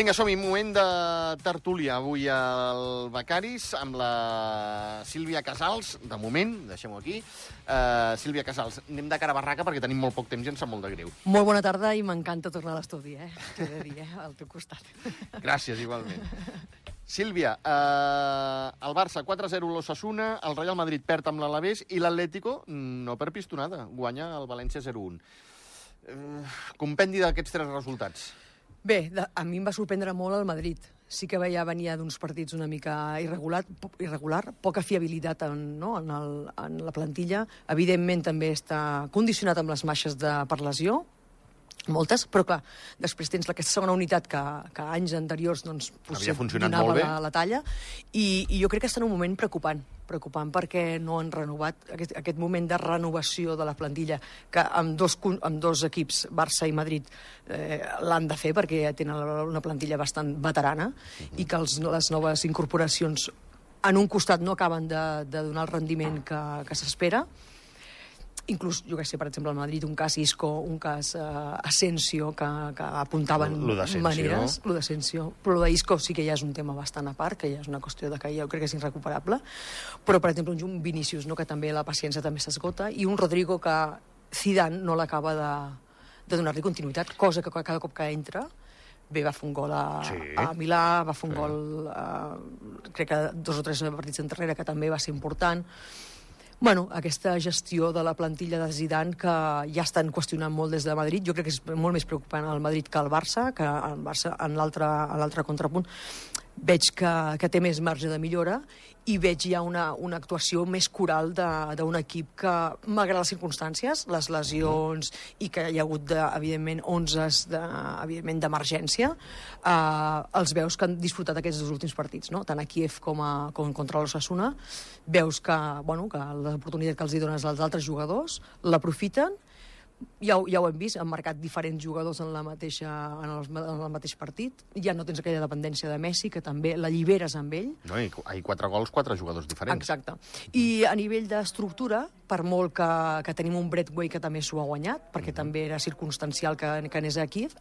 Vinga, som-hi, moment de tertúlia. Avui al Becaris amb la Sílvia Casals, de moment, deixem-ho aquí. Sílvia Casals, anem de cara a barraca perquè tenim molt poc temps i ens sap molt de greu. Molt bona tarda i m'encanta tornar a l'estudi, t'he de dir, al teu costat. Gràcies, igualment. Sílvia, el Barça 4-0 l'Osasuna, el Real Madrid perd amb l'Alavés i l'Atlético, no per pistonada, guanya el València 0-1. Compendi d'aquests tres resultats. Bé, a mi em va sorprendre molt el Madrid. Sí que venia d'uns partits una mica irregular, poca fiabilitat en la plantilla. Evidentment també està condicionat amb les baixes per lesió, moltes, però clar, després tens aquesta segona unitat que anys anteriors havia funcionat molt bé, la talla, i jo crec que està en un moment preocupant perquè no han renovat aquest moment de renovació de la plantilla que amb dos equips, Barça i Madrid, l'han de fer perquè tenen una plantilla bastant veterana i que les noves incorporacions en un costat no acaben de donar el rendiment que s'espera. Inclús, jo què sé, per exemple, al Madrid, un cas Isco, un cas Asensio, que apuntaven maneres. Lo d'Asensio. Però lo d'Isco sí que ja és un tema bastant a part, que ja és una qüestió de que jo crec que és irrecuperable. Però, per exemple, un Vinícius, que també la paciència també s'esgota, i un Rodrigo que Zidane no l'acaba de donar-li continuïtat, cosa que cada cop que entra bé, va fer un gol a Milà, va fer un gol, crec que 2 o 3 partits enrere, que també va ser important. Bueno, aquesta gestió de la plantilla de Zidane que ja estan qüestionant molt des de Madrid. Jo crec que és molt més preocupant el Madrid que el Barça, que el Barça en l'altre contrapunt veig que té més marge de millora i veig ja una actuació més coral d'un equip que, malgrat les circumstàncies, les lesions i que hi ha hagut, evidentment, 11 d'emergència, els veus que han disfrutat aquests 2 últims partits, no? Tant a Kíev com contra l'Osasuna. Veus que l'oportunitat que els dones als altres jugadors l'aprofiten. Ja ho hem vist, han marcat diferents jugadors en el mateix partit. Ja no tens aquella dependència de Messi, que també l'alliberes amb ell. No, i 4 gols, 4 jugadors diferents. Exacte. I a nivell d'estructura, per molt que tenim un Braithwaite que també s'ho ha guanyat, perquè també era circumstancial que anés a Kíev,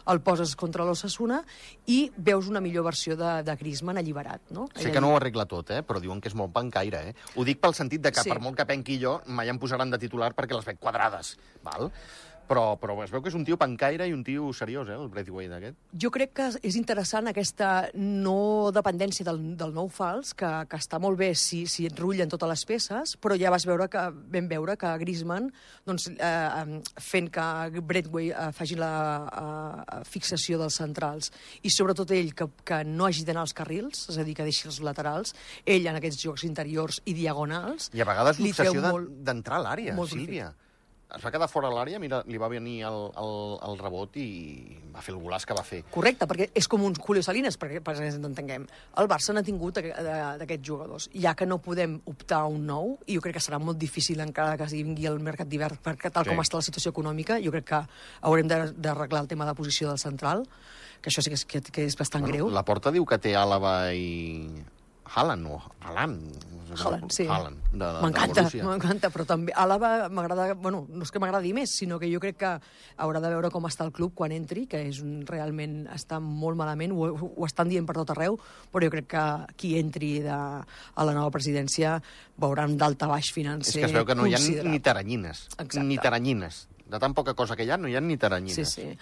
el poses contra l'Osasuna i veus una millor versió de Griezmann alliberat. No? Sé que no ho arregla tot, però diuen que és molt pancaire. Ho dic pel sentit de que per molt que penqui jo, mai em posaran de titular perquè les veig quadrades. Val? Però es veu que és un tio pancaire i un tio seriós, el Braithwaite aquest. Jo crec que és interessant aquesta no dependència del nou fals, que està molt bé si et rullen totes les peces, però ja vam veure que Griezmann, fent que Braithwaite faci la fixació dels centrals, i sobretot ell, que no hagi d'anar als carrils, és a dir, que deixi els laterals, ell en aquests jocs interiors i diagonals... I a vegades l'obsessió d'entrar a l'àrea, Sílvia. Es va quedar fora a l'àrea, mira, li va venir el rebot i va fer el golaç que va fer. Correcte, perquè és com un Julio Salinas, perquè ens entenguem. El Barça n'ha tingut d'aquests jugadors. Ja que no podem optar a un nou, i jo crec que serà molt difícil encara que vingui el mercat d'hivern, perquè tal com està la situació econòmica, jo crec que haurem d'arreglar el tema de posició del central, que això sí que és bastant greu. La Porta diu que té Àlava i... Haaland, sí. M'encanta, però també Àlava m'agrada, no és que m'agradi més, sinó que jo crec que haurà de veure com està el club quan entri, que realment està molt malament, ho estan dient per tot arreu, però jo crec que qui entri a la nova presidència veurà un daltabaix financer considerable. És que es veu que no hi ha ni taranyines. Ni taranyines. De tan poca cosa que hi ha, no hi ha ni taranyines. Sí.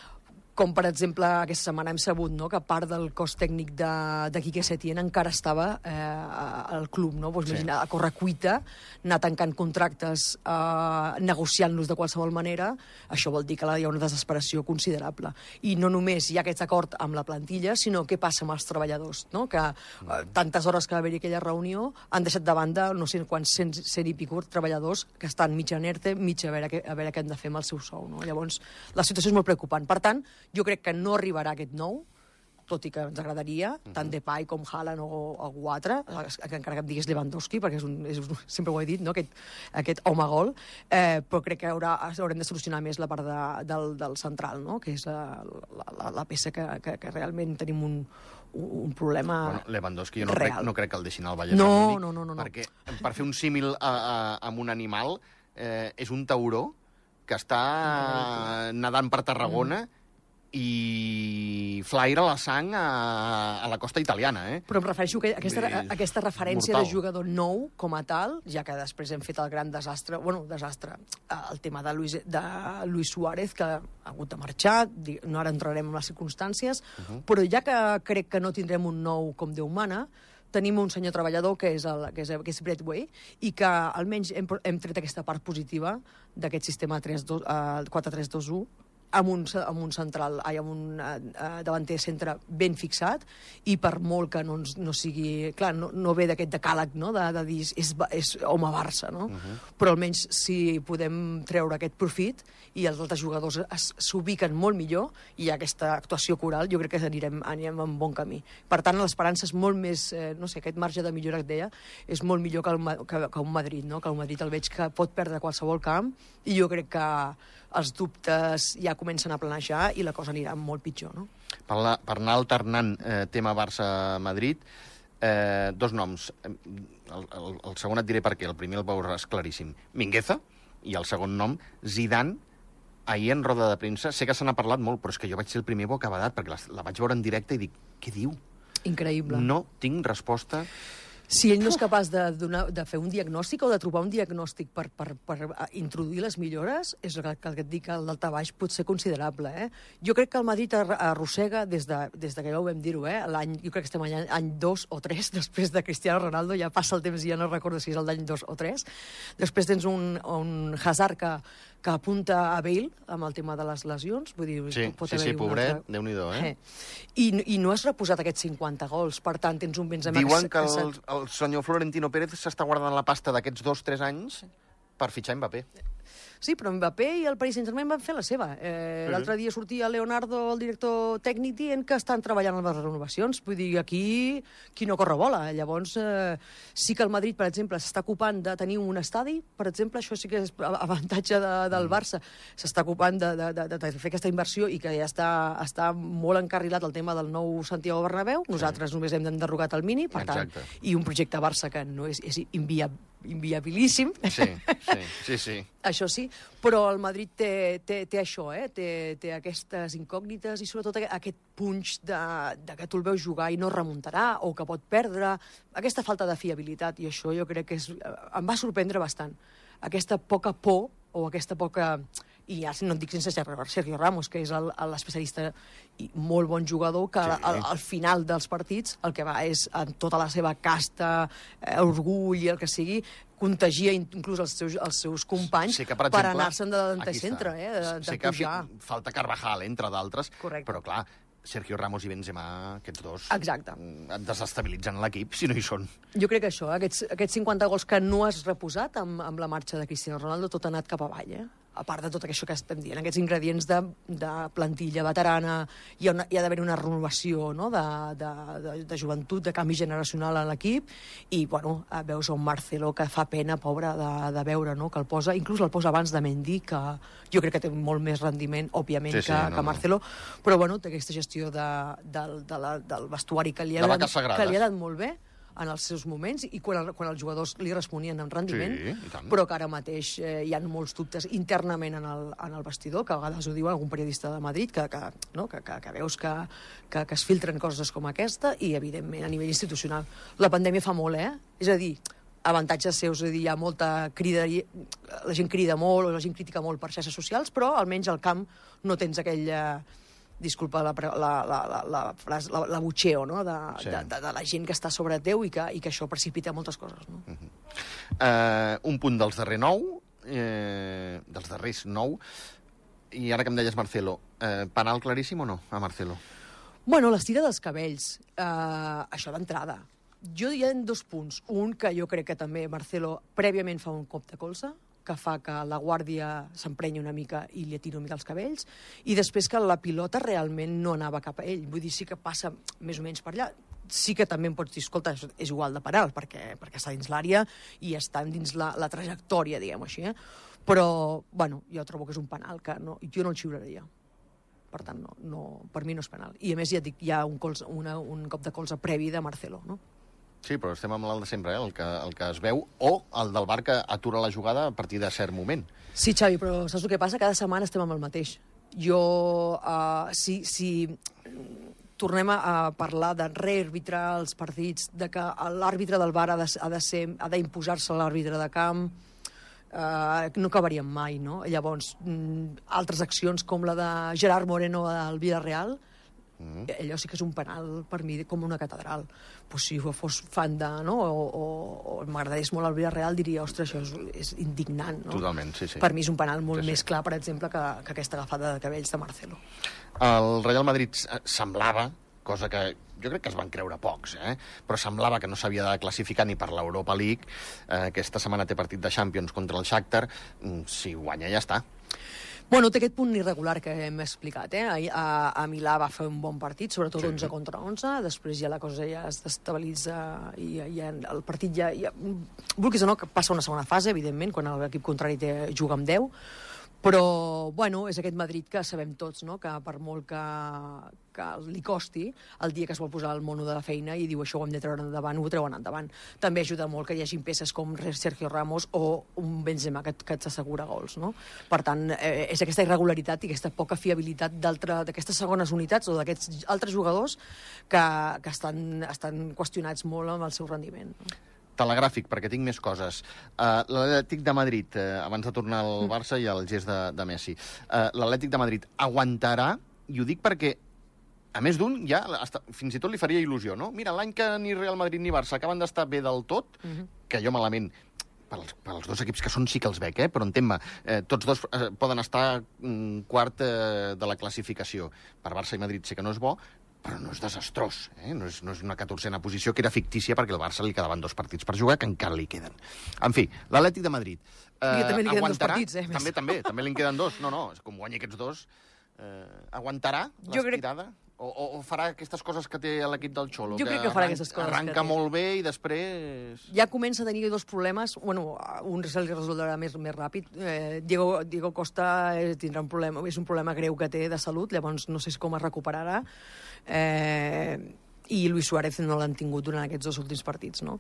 Com, per exemple, aquesta setmana hem sabut que part del cos tècnic de Quique Setién encara estava al club, no? Imagina, a correcuita, anar tancant contractes, negociant-los de qualsevol manera, això vol dir que hi ha una desesperació considerable. I no només hi ha aquest acord amb la plantilla, sinó què passa amb els treballadors, no? Que tantes hores que va haver-hi aquella reunió han deixat de banda no sé quants 100 i pico treballadors que estan mig en ERTE, mig a veure què han de fer amb el seu sou, no? Llavors, la situació és molt preocupant. Per tant, jo crec que no arribarà aquest nou, tot i que ens agradaria, tant Depay com Haaland o algú altre, encara que em diguis Lewandowski, perquè sempre ho he dit, no? aquest home gol, però crec que haurem de solucionar més la part del central, no? Que és la peça que realment tenim un problema real. Lewandowski jo no crec que el deixin al Bayern Múnich, no. Perquè per fer un símil amb un animal és un tauró que està nedant per Tarragona i flaira la sang a la costa italiana, eh? Però em refereixo a aquesta referència mortal. de jugador nou com a tal, ja que després hem fet el gran desastre, el tema de Luis Suárez, que ha hagut de marxar, no ara entrarem en les circumstàncies, però ja que crec que no tindrem un nou com Déu mana, tenim un senyor treballador que és Brett Way, i que almenys hem tret aquesta part positiva d'aquest sistema 4-3-2-1, amb un central, amb un davanter centre ben fixat, i per molt que no sigui... Clar, no ve d'aquest decàleg, no?, de dir és home Barça, no? Però almenys si podem treure aquest profit i els altres jugadors s'ubiquen molt millor i hi ha aquesta actuació coral, jo crec que anirem en bon camí. Per tant, l'esperança és molt més... no sé, aquest marge de millora que et deia és molt millor que un Madrid, no? Que un Madrid el veig que pot perdre qualsevol camp, i jo crec que els dubtes ja comencen a planejar i la cosa anirà molt pitjor, no? Per anar alternant tema Barça-Madrid, dos noms. El segon et diré per què, el primer el veuràs claríssim. Mingueza, i el segon nom, Zidane. Ahir en roda de premsa, sé que se n'ha parlat molt, però és que jo vaig ser el primer bocabadat, perquè la vaig veure en directe i dic, què diu? Increïble. No tinc resposta. Si ell no és capaç de fer un diagnòstic o de trobar un diagnòstic per introduir les millores, és el que et dic, que el daltabaix pot ser considerable. Jo crec que el Madrid arrossega, des de que ja ho vam dir-ho, jo crec que estem any 2 o 3, després de Cristiano Ronaldo, ja passa el temps i ja no recordo si és el d'any 2 o 3. Després tens un Hazard que apunta a Bale amb el tema de les lesions. Vull dir, sí, pobret, Déu-n'hi-do, I no has reposat aquests 50 gols, per tant, tens un Benzema... Diuen que el senyor Florentino Pérez s'està guardant la pasta d'aquests 2-3 anys per fitxar Mbappé. Sí, però Mbappé i el Paris Saint-Germain van fer la seva. L'altre dia sortia Leonardo, el director tècnic, dient que estan treballant en les renovacions. Vull dir, aquí qui no corre bola. Llavors, sí que el Madrid, per exemple, s'està ocupant de tenir un estadi, per exemple, això sí que és avantatge del Barça. S'està ocupant de fer aquesta inversió i que ja està molt encarrilat el tema del nou Santiago Bernabéu. Nosaltres només hem enderrogat el Mini, per tant, i un projecte Barça que no és inviabilíssim. Sí. Això sí, però el Madrid té això, té aquestes incògnites i sobretot aquest punx de que tu el veus jugar i no remuntarà o que pot perdre, aquesta falta de fiabilitat, i això jo crec que em va sorprendre bastant. Aquesta poca por o aquesta poca... I ja no et dic sense Sergio Ramos, que és l'especialista i molt bon jugador, que al final dels partits el que va és, amb tota la seva casta, orgull i el que sigui, contagia inclús els seus companys per anar-se'n de davanter centre, de pujar. Que falta Carvajal, entre d'altres, però clar, Sergio Ramos i Benzema, aquests dos, desestabilitzen l'equip, si no hi són. Jo crec que això, aquests 50 gols que no has reposat amb la marxa de Cristiano Ronaldo, tot ha anat cap avall, a part de tot això que estem dient, aquests ingredients de plantilla veterana, hi ha d'haver una renovació, no?, de joventut, de canvi generacional a l'equip, i, bueno, veus un Marcelo que fa pena, pobre, de veure, no?, que inclús el posa abans de Mendy, que jo crec que té molt més rendiment, òbviament, que Marcelo, però, bueno, té aquesta gestió del vestuari que li ha anat molt bé en els seus moments, i quan els jugadors li responien amb rendiment, però que ara mateix hi ha molts dubtes internament en el vestidor, que a vegades ho diu algun periodista de Madrid, que veus que es filtren coses com aquesta, i, evidentment, a nivell institucional. La pandèmia fa molt, És a dir, avantatges seus, és a dir, hi ha molta cridaria, la gent crida molt, o la gent critica molt per xarxes socials, però almenys al camp no tens aquell... disculpa la butxeo, no?, de la gent que està sobre teu i que això precipita moltes coses, no? Un punt dels darrers 9, i ara que em deies Marcelo, penal claríssim o no, a Marcelo? Bueno, l'estira dels cabells, això d'entrada. Jo hi ha 2 punts. Un, que jo crec que també Marcelo prèviament fa un cop de colze, que fa que la guàrdia s'emprenyi una mica i li atiri una mica els cabells, i després que la pilota realment no anava cap a ell. Vull dir, sí que passa més o menys per allà. Sí que també em pots dir, escolta, és igual de penal, perquè està dins l'àrea i està dins la trajectòria, diguem-ho així, Però, bueno, jo trobo que és un penal que jo no el xiularia. Per tant, per mi no és penal. I, a més, ja et dic, hi ha un cop de colze previ de Marcelo, no? Sí, però estem amb el de sempre, el que es veu, o el del VAR que atura la jugada a partir de cert moment. Sí, Xavi, però saps el que passa? Cada setmana estem amb el mateix. Si tornem a parlar de rearbitrar els partits, de que l'àrbitre del VAR ha d'imposar-se a l'àrbitre de camp, no acabaríem mai, no? Llavors, altres accions com la de Gerard Moreno al Villarreal, allò sí que és un penal per mi com una catedral. Pues si fos fan de, no? o m'agradés molt el Villarreal, diria, ostres, això és indignant, no? Totalment, sí. Per mi és un penal molt més clar, per exemple, que aquesta agafada de cabells de Marcelo. El Real Madrid semblava, cosa que jo crec que es van creure pocs, però semblava que no s'havia de classificar ni per l'Europa League. Aquesta setmana té partit de Champions contra el Shakhtar. Si guanya ja està. Bueno, té aquest punt irregular que hem explicat. A Milà va fer un bon partit, sobretot 11 contra 11, després ja la cosa ja es destabilitza i el partit ja... Vulguis o no, que passa una segona fase, evidentment, quan l'equip contrari juga amb 10, però, bueno, és aquest Madrid que sabem tots, no?, que per molt que li costi, el dia que es vol posar el mono de la feina i diu això ho hem de treure endavant, ho treuen endavant. També ajuda molt que hi hagi peces com Sergio Ramos o un Benzema que t'assegura gols, no? Per tant, és aquesta irregularitat i aquesta poca fiabilitat d'aquestes segones unitats o d'aquests altres jugadors que estan qüestionats molt amb el seu rendiment, no? Telegràfic, perquè tinc més coses. L'Atlètic de Madrid, abans de tornar al Barça i al gest de Messi, l'Atlètic de Madrid aguantarà, i ho dic perquè a més d'un, ja fins i tot li faria il·lusió, no? Mira, l'any que ni Real Madrid ni Barça acaben d'estar bé del tot, que jo malament, pels dos equips que són sí que els veig, però entén-me, tots dos poden estar quart de la classificació. Per Barça i Madrid sé que no és bo, però no és desastrós, no és una 14a posició que era fictícia perquè al Barça li quedaven 2 partits per jugar, que encara li queden. En fi, l'Atlètic de Madrid també li queden 2 partits, També li queden 2. No, com guanyi aquests 2, aguantarà l'estirada? O farà aquestes coses que té l'equip del Xolo? Jo crec que farà aquestes coses. Arranca molt bé i després... Ja comença a tenir 2 problemes. Bueno, un se li resoldrà més ràpid. Diego Costa tindrà un problema, és un problema greu que té de salut, llavors no sé com es recuperarà. I Luis Suárez no l'han tingut durant aquests 2 últims partits, no?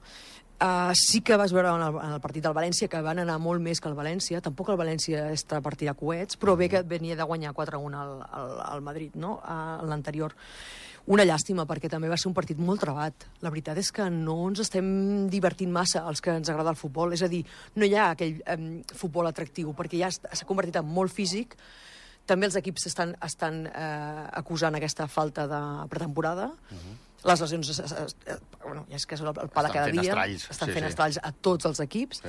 Sí que vas veure en el partit del València que van anar molt més que el València. Tampoc el València està a partir de coets, però bé que venia de guanyar 4-1 al Madrid, no?, a l'anterior. Una llàstima, perquè també va ser un partit molt trebat. La veritat és que no ens estem divertint massa els que ens agrada el futbol. És a dir, no hi ha aquell futbol atractiu, perquè ja s'ha convertit en molt físic. També els equips estan acusant aquesta falta de pretemporada. Les lesions, bueno, ja és que és el pa de cada dia. Estan fent estralls a tots els equips.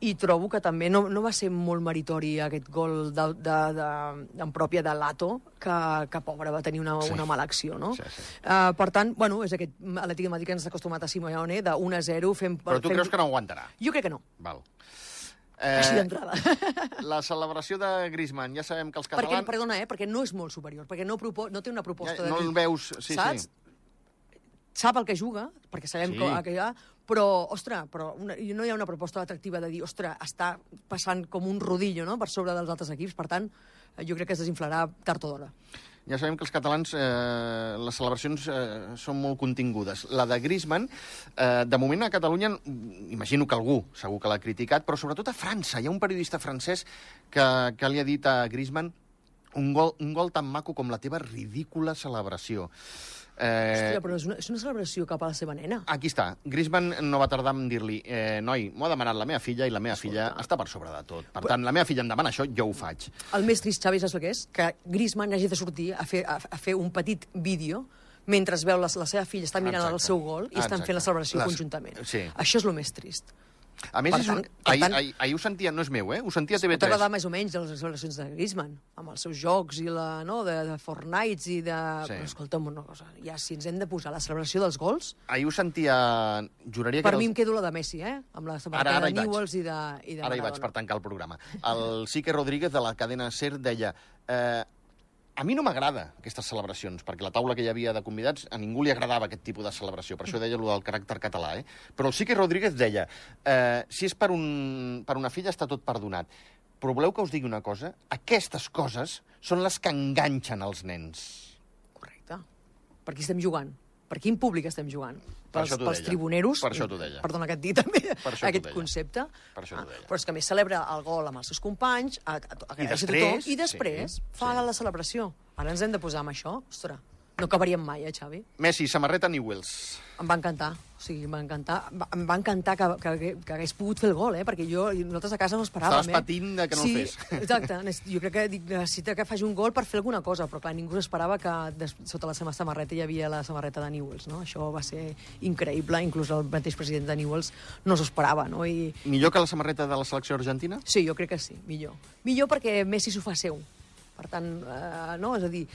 I trobo que també no va ser molt meritori aquest gol en pròpia de Lato, que pobre, va tenir una mala acció, no? Per tant, bueno, és aquest Atlètic de Madrid que ens ha acostumat a Simeone, de 1-0 fent... Però tu creus que no aguantarà? Jo crec que no. Val. Així d'entrada. La celebració de Griezmann, ja sabem que els catalans... Perdona, perquè no és molt superior, perquè no té una proposta de... No el veus, sí. Sap el que juga, perquè sabem que hi ha, però, ostres, no hi ha una proposta atractiva de dir, ostres, està passant com un rodillo, no?, per sobre dels altres equips. Per tant, jo crec que es desinflarà tard o d'hora. Ja sabem que els catalans, les celebracions són molt contingudes. La de Griezmann, de moment a Catalunya, imagino que algú segur que l'ha criticat, però sobretot a França. Hi ha un periodista francès que li ha dit a Griezmann un gol tan maco com la teva ridícula celebració. Hòstia, però és una celebració cap a la seva nena. Aquí està. Griezmann no va tardar en dir-li noi, m'ho ha demanat la meva filla i la meva filla està per sobre de tot. Per tant, la meva filla em demana això, jo ho faig. El més trist, Xavi, saps què és? Que Griezmann hagi de sortir a fer un petit vídeo mentre veu la seva filla està mirant el seu gol i estan fent la celebració conjuntament. Això és el més trist. A més, ahir ho sentia, no és meu, ho sentia a TV3. T'agrada més o menys les celebracions de Griezmann, amb els seus jocs i de Fortnite i de... Però escolta'm una cosa, ja si ens hem de posar la celebració dels gols... Ahir ho sentia... Juraria que... Per mi em quedo la de Messi, amb la samarreta de Newells i de Maradona. Ara hi vaig per tancar el programa. El Quique Rodríguez de la cadena SER deia... A mi no m'agrada aquestes celebracions, perquè la taula que hi havia de convidats a ningú li agradava aquest tipus de celebració, per això deia allò del caràcter català, Però el Quique Rodríguez deia, si és per una filla està tot perdonat. Però voleu que us digui una cosa? Aquestes coses són les que enganxen els nens. Correcte. Per aquí estem jugant. Per quin públic estem jugant? Per això t'ho Pels deia. tribuneros? Per això t'ho deia. Perdona que et digui també Per això t'ho aquest deia. concepte. Per això t'ho deia. Però és que a més celebra el gol amb els seus companys, agraeix a després, tothom, i després sí, fa la celebració. Ara ens hem de posar amb això. Ostres, no acabaríem mai, Xavi? Messi, samarreta Newells. Em va encantar, o sigui, em va encantar que hagués pogut fer el gol, perquè nosaltres a casa no esperàvem. Estaves patint de que no el fes. Exacte, jo crec que necessita que faci un gol per fer alguna cosa, però clar, ningú esperava que sota la seva samarreta hi havia la samarreta de Newells, no? Això va ser increïble, inclús el mateix president de Newells no s'ho esperava, no? Millor que la samarreta de la selecció argentina? Sí, jo crec que sí, millor. Millor perquè Messi s'ho fa seu. Per tant, no? És a dir,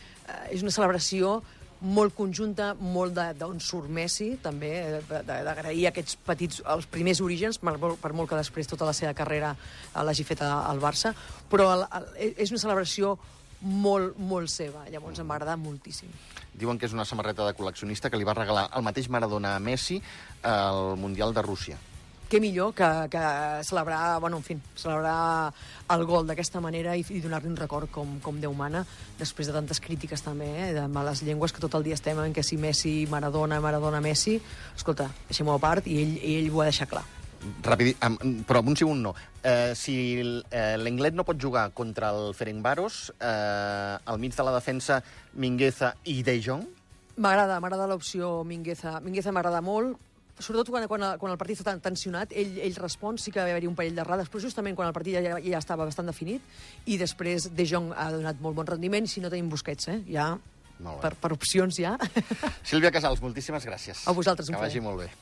és una celebració molt conjunta, molt d'on surt Messi, també, d'agrair aquests petits, els primers orígens, per molt que després tota la seva carrera l'hagi fet al Barça, però és una celebració molt, molt seva. Llavors em va agradar moltíssim. Diuen que és una samarreta de col·leccionista que li va regalar el mateix Maradona a Messi al Mundial de Rússia. Què millor que celebrar, bueno, en fi, celebrar el gol d'aquesta manera i donar-li un record com Déu mana, després de tantes crítiques també, de males llengües, que tot el dia estem en que si Messi, Maradona, Messi... Escolta, deixem-ho a part, i ell ho ha deixat clar. Però amb un sí o un no. Si l'Englet no pot jugar contra el Ferencváros, al mig de la defensa, Mingueza i De Jong? M'agrada l'opció Mingueza. Mingueza m'agrada molt, sobretot quan el partit està tan tensionat, ell respon, sí que va haver-hi un parell d'errades, però justament quan el partit ja estava bastant definit, i després De Jong ha donat molt bon rendiment, si no tenim Busquets, ja, per opcions ja. Sílvia Casals, moltíssimes gràcies. A vosaltres, un plaer. Que vagi plaer. molt bé.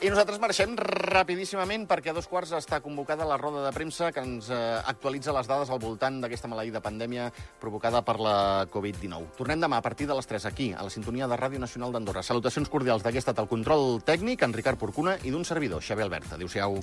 I nosaltres marxem rapidíssimament perquè a 2:15 està convocada la roda de premsa que ens actualitza les dades al voltant d'aquesta maleïda pandèmia provocada per la Covid-19. Tornem demà a partir de les 3 aquí, a la sintonia de Ràdio Nacional d'Andorra. Salutacions cordials d'aquest estat el control tècnic, en Ricard Porcuna, i d'un servidor, Xavier Albert. Adéu-siau.